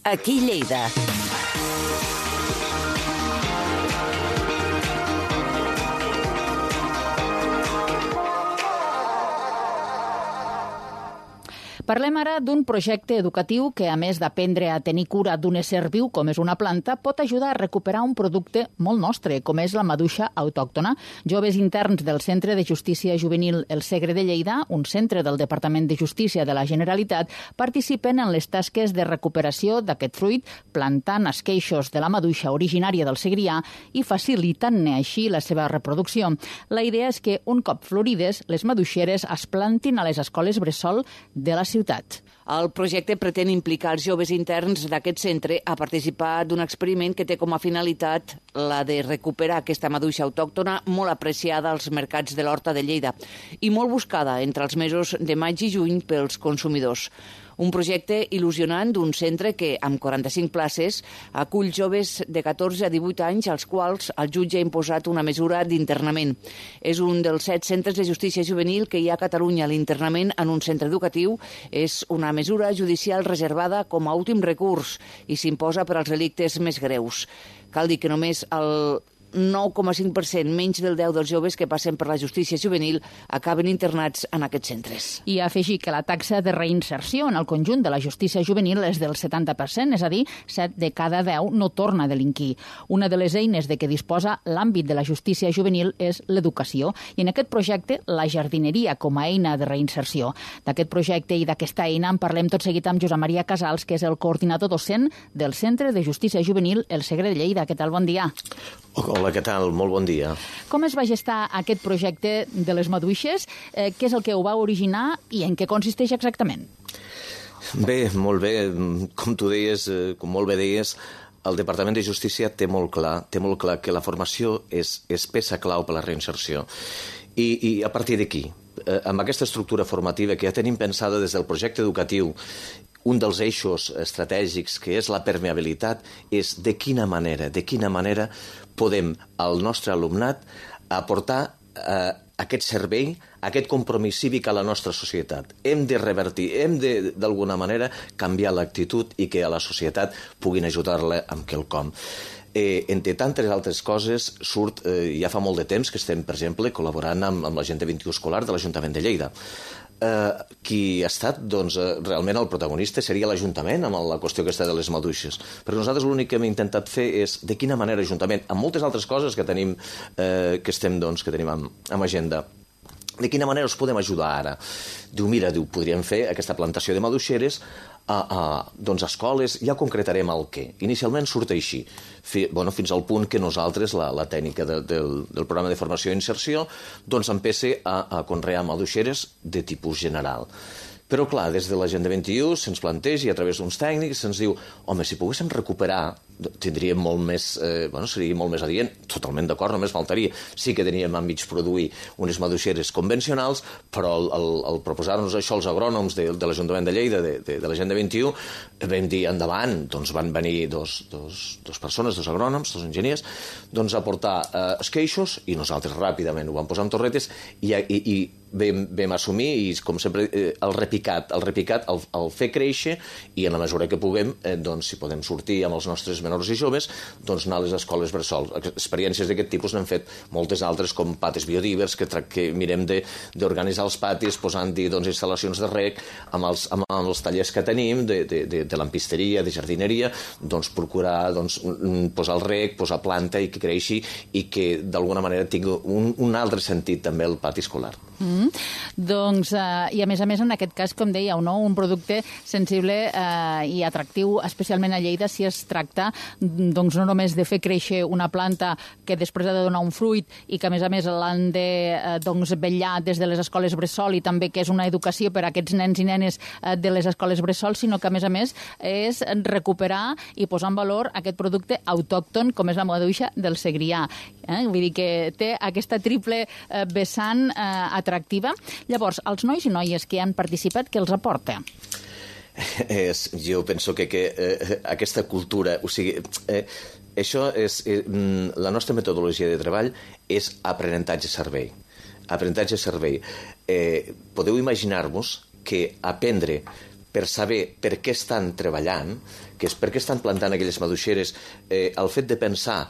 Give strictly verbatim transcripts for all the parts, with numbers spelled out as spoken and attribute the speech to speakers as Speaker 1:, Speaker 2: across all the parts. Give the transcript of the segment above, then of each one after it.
Speaker 1: Aquí Lleida.
Speaker 2: Parlem ara d'un projecte educatiu que, a més d'aprendre a tenir cura d'un ésser viu com és una planta, pot ajudar a recuperar un producte molt nostre, com és la maduixa autòctona. Joves interns del Centre de Justícia Juvenil El Segre de Lleida, un centre del Departament de Justícia de la Generalitat, participen en les tasques de recuperació d'aquest fruit, plantant esqueixos de la maduixa originària del Segrià i facilitant-ne així la seva reproducció. La idea és que, un cop florides, les maduixeres es plantin a les escoles bressol de la ciutat.
Speaker 3: El projecte pretén implicar els joves interns d'aquest centre a participar d'un experiment que té com a finalitat la de recuperar aquesta maduixa autòctona molt apreciada als mercats de l'Horta de Lleida i molt buscada entre els mesos de maig i juny pels consumidors. Un projecte il·lusionant d'un centre que, amb quaranta-cinc places, acull joves de catorze a divuit anys als quals el jutge ha imposat una mesura d'internament. És un dels set centres de justícia juvenil que hi ha a Catalunya. L'internament en un centre educatiu és una mesura judicial reservada com a últim recurs i s'imposa per als delictes més greus. Cal dir que només el nou coma cinc per cent, menys del deu dels joves que passen per la justícia juvenil, acaben internats en aquests centres.
Speaker 2: I afegir que la taxa de reinserció en el conjunt de la justícia juvenil és del setanta per cent, és a dir, set de cada deu no torna a delinquir. Una de les eines de què disposa l'àmbit de la justícia juvenil és l'educació, i en aquest projecte la jardineria com a eina de reinserció. D'aquest projecte i d'aquesta eina en parlem tot seguit amb Josep Maria Casals, que és el coordinador docent del Centre de Justícia Juvenil El Segre de Lleida. Què tal? Bon dia.
Speaker 4: Hola, què tal? Molt bon dia.
Speaker 2: Com es va gestar aquest projecte de les maduixes? Eh, què és el que ho va originar i en què consisteix exactament?
Speaker 4: Bé, molt bé. Com tu deies, com molt bé deies, el Departament de Justícia té molt clar, té molt clar que la formació és, és peça clau per la reinserció. I, i a partir d'aquí, eh, amb aquesta estructura formativa que ja tenim pensada des del projecte educatiu, un dels eixos estratègics, que és la permeabilitat, és de quina manera, de quina manera podem al nostre alumnat aportar eh, aquest servei, aquest compromís cívic a la nostra societat. Hem de revertir, hem de, d'alguna manera, canviar l'actitud i que a la societat puguin ajudar-la amb quelcom. Eh, entre tantes altres coses, surt, eh, ja fa molt de temps que estem, per exemple, col·laborant amb, amb l'Agenda vint-i-u escolar de l'Ajuntament de Lleida. Eh, qui ha estat, doncs, eh, realment el protagonista seria l'Ajuntament amb la qüestió aquesta de les maduixes. Però nosaltres l'únic que hem intentat fer és de quina manera l'Ajuntament, amb moltes altres coses que tenim, eh, que estem, doncs, que tenim amb, amb agenda, de quina manera us podem ajudar ara? Diu, mira, diu, podríem fer aquesta plantació de maduixeres a, a doncs, escoles, ja concretarem el què. Inicialment surt així, fi, bueno, fins al punt que nosaltres, la, la tècnica de, del, del programa de formació i inserció, doncs empece a, a conrear maduixeres de tipus general. Però, clar, des de l'Agenda vint-i-u se'ns planteja i a través d'uns tècnics se'ns diu, home, si poguéssim recuperar, tindríem molt més, eh, bueno, seria molt més adient, totalment d'acord, només faltaria. Sí que teníem a mig produir unes maduixeres convencionals, però al, al, al proposar-nos això els agrònoms de, de l'Ajuntament de Lleida, de, de, de l'Agenda vint-i-u, vam dir endavant, doncs van venir dos, dos, dos persones, dos agrònoms, dos enginyers, doncs a portar eh, esqueixos i nosaltres ràpidament ho vam posar en torretes i, i, i vam, vam assumir i, com sempre, eh, el repicat, el repicat, el, el fer créixer i en la mesura que puguem, eh, doncs si podem sortir amb els nostres menors i joves, doncs anar a les escoles bressol. Experiències d'aquest tipus n'hem fet moltes altres, com patis biodivers, que, que mirem d'organitzar els patis posant-hi doncs, instal·lacions de rec amb els, amb, amb els tallers que tenim de, de, de, de lampisteria, de jardineria, doncs procurar doncs, posar el rec, posar planta i que creixi i que d'alguna manera tingui un, un altre sentit també el pati escolar.
Speaker 2: Mm. Doncs, eh, i a més a més en aquest cas, com dèieu, no? Un producte sensible eh, i atractiu, especialment a Lleida, si es tracta doncs, no només de fer créixer una planta que després ha de donar un fruit i que a més a més l'han de eh, doncs, vetllar des de les escoles bressol i també que és una educació per a aquests nens i nenes eh, de les escoles bressol, sinó que a més a més és recuperar i posar en valor aquest producte autòcton com és la maduixa del Segrià. Eh? Vull dir que té aquesta triple eh, vessant eh, atractiva. Llavors, els nois i noies que han participat, què els aporta?
Speaker 4: És, jo penso que, que eh, aquesta cultura, o sigui, eh, això és, eh, la nostra metodologia de treball és aprenentatge-servei. Aprenentatge-servei. Eh, podeu imaginar-vos que aprendre per saber per què estan treballant, que és per què estan plantant aquelles maduixeres, eh, el fet de pensar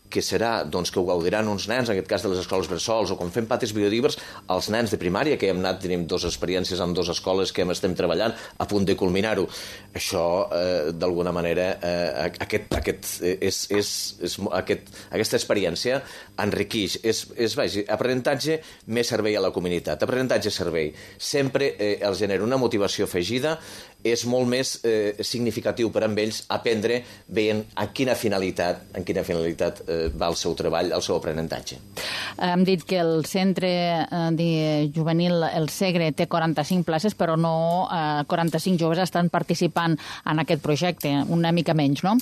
Speaker 4: que serà doncs, que ho gaudiran uns nens, en aquest cas de les escoles bressols, o quan fem patis biodivers, els nens de primària, que hem anat, tenim dues experiències amb dues escoles que hem estem treballant, a punt de culminar-ho. Això, eh, d'alguna manera, eh, aquest, aquest, és, és, és, aquest, aquesta experiència enriqueix. És, és vaja, aprenentatge més servei a la comunitat. Aprenentatge servei. Sempre eh, els genera una motivació afegida, és molt més eh, significatiu per a ells aprendre veient a quina finalitat, en quina finalitat eh, va el seu treball, el seu aprenentatge.
Speaker 2: Hem dit que el centre eh, juvenil El Segre té quaranta-cinc places, però no eh, quaranta-cinc joves estan participant en aquest projecte, una mica menys, no?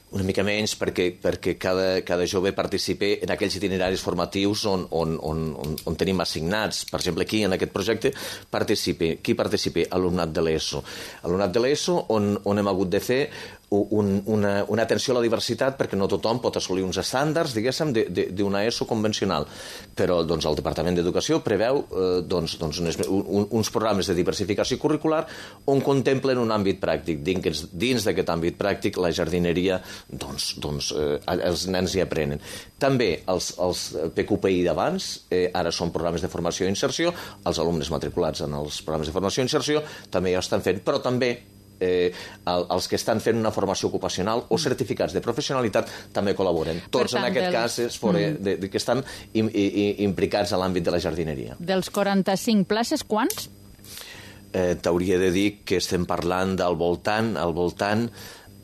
Speaker 4: Una mica menys perquè, perquè cada, cada jove participa en aquells itineraris formatius on, on, on, on, on tenim assignats. Per exemple, aquí, en aquest projecte, participa, qui participa? Alumnat de l'ESO. Alumnat de l'ESO on, on hem hagut de fer un, una, una atenció a la diversitat perquè no tothom pot assolir uns estàndards, diguéssim, d'una ESO convencional. Però doncs, el Departament d'Educació preveu eh, doncs, doncs, uns, un, uns programes de diversificació curricular on contemplen un àmbit pràctic. Dins, dins d'aquest àmbit pràctic, la jardineria, doncs, doncs eh, els nens hi aprenen. També els, els P Q P I d'abans, eh, ara són programes de formació i inserció, els alumnes matriculats en els programes de formació i inserció també ja ho estan fent, però també Eh, el, els que estan fent una formació ocupacional o certificats de professionalitat també col·laboren. Tots tant, en aquest dels... cas és fora mm. de, de, que estan im, i, implicats a l'àmbit de la jardineria.
Speaker 2: Dels quaranta-cinc places, quants?
Speaker 4: Eh, T'hauria de dir que estem parlant del voltant, al voltant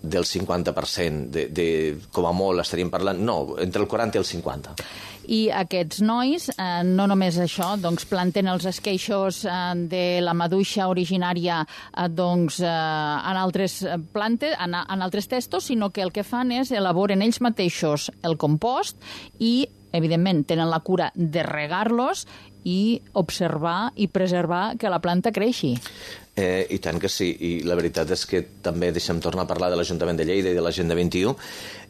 Speaker 4: del cinquanta per cent. De, de, com a molt estaríem parlant... No, entre el quaranta i el cinquanta.
Speaker 2: I aquests nois, eh, no només això, doncs planten els esqueixos eh, de la maduixa originària eh, doncs, eh, en altres plantes, en, en altres testos, sinó que el que fan és elaboren ells mateixos el compost i, evidentment, tenen la cura de regar-los i observar i preservar que la planta creixi.
Speaker 4: Eh, I tant que sí, i la veritat és que també deixem tornar a parlar de l'Ajuntament de Lleida i de l'Agenda vint i u.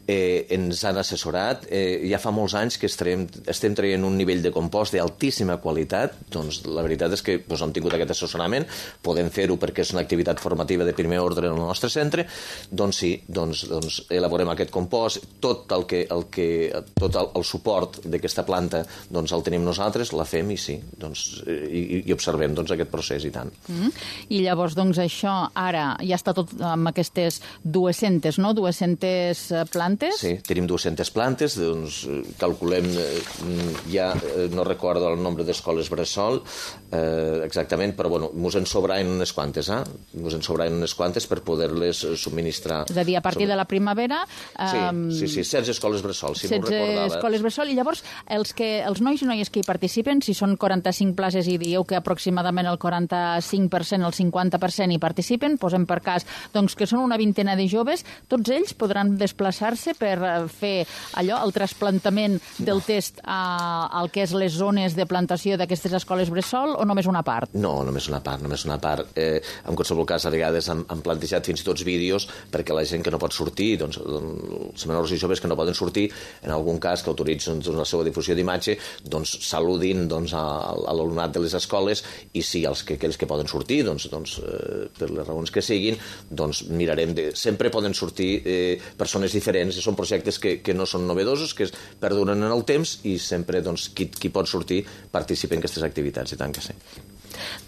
Speaker 4: Eh, ens han assessorat, eh, ja fa molts anys que estem, estem traient un nivell de compost d'altíssima qualitat, doncs la veritat és que doncs, hem tingut aquest assessorament, podem fer-ho perquè és una activitat formativa de primer ordre en el nostre centre, doncs sí, doncs, doncs elaborem aquest compost, tot el que, el que tot el, el suport d'aquesta planta doncs el tenim nosaltres, la fem i sí, doncs, i, i observem doncs, aquest procés i tant.
Speaker 2: Mm. I llavors, doncs això, ara ja està tot amb aquestes dues-centes, no? dues-centes plantes.
Speaker 4: Sí, tenim dues-centes plantes, doncs calculem, ja no recordo el nombre d'escoles bressol eh, exactament, però bueno, mos en sobraven unes quantes, eh? Mos en sobraven unes quantes per poder-les subministrar.
Speaker 2: És a dir, a partir de la primavera...
Speaker 4: Sí, um, sí, sí, setze escoles bressol, si m'ho recordava.
Speaker 2: setze escoles bressol, i llavors els, que, els nois i noies que hi participen, si són quaranta-cinc places i dieu que aproximadament el quaranta-cinc per cent, el cinquanta per cent hi participen, posem per cas doncs, que són una vintena de joves, tots ells podran desplaçar-se per fer allò, el trasplantament del test a, al que és les zones de plantació d'aquestes escoles bressol o només una part?
Speaker 4: No, només una part, només una part. Eh, en qualsevol cas, a vegades han, han plantejat fins i tot vídeos perquè la gent que no pot sortir, doncs, els menors i joves que no poden sortir, en algun cas que autoritzen doncs, la seva difusió d'imatge, doncs saludin doncs, a, a l'alumnat de les escoles i sí, els que, aquells que poden sortir, doncs, doncs eh, per les raons que siguin, doncs mirarem de... Sempre poden sortir eh, persones diferents, són projectes que, que no són novedosos, que es perduren en el temps i sempre doncs, qui, qui pot sortir participa en aquestes activitats, i tant que sí.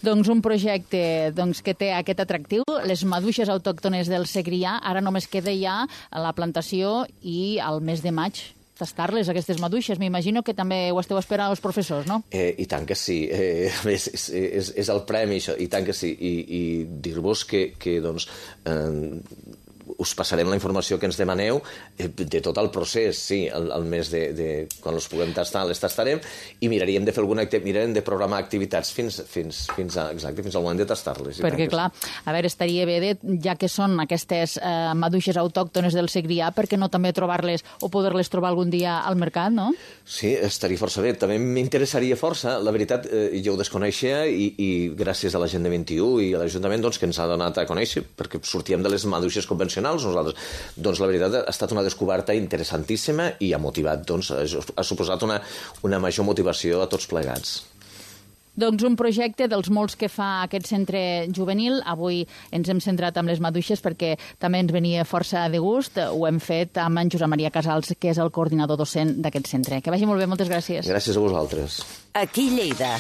Speaker 2: Doncs un projecte doncs, que té aquest atractiu, les maduixes autòctones del Segrià, ara només queda ja la plantació i al mes de maig tastar-les, aquestes maduixes. M'imagino que també ho esteu esperant els professors, no?
Speaker 4: Eh, I tant que sí. Eh, és, és, és el premi, això, i tant que sí. I, i dir-vos que, que doncs, eh, us passarem la informació que ens demaneu de tot el procés, sí, el, el mes de, de... quan els puguem tastar, les tastarem i miraríem de fer alguna activitat, mirarem de programar activitats fins, fins, fins, a, exacte, fins al moment de tastar-les.
Speaker 2: Perquè, clar, a veure, estaria bé, de, ja que són aquestes eh, maduixes autòctones del Segrià, per què no també trobar-les o poder-les trobar algun dia al mercat, no?
Speaker 4: Sí, estaria força bé. També m'interessaria força. La veritat, eh, jo ho desconeixia i, i gràcies a l'Agenda vint i u i a l'Ajuntament doncs, que ens ha donat a conèixer, perquè sortíem de les maduixes convencionals nosaltres. Doncs la veritat ha estat una descoberta interessantíssima i ha motivat, doncs, ha suposat una, una major motivació a tots plegats.
Speaker 2: Doncs un projecte dels molts que fa aquest centre juvenil. Avui ens hem centrat amb les maduixes perquè també ens venia força de gust. Ho hem fet amb en Josep Maria Casals, que és el coordinador docent d'aquest centre. Que vagi molt bé, moltes gràcies.
Speaker 4: Gràcies a vosaltres.
Speaker 3: Aquí Lleida.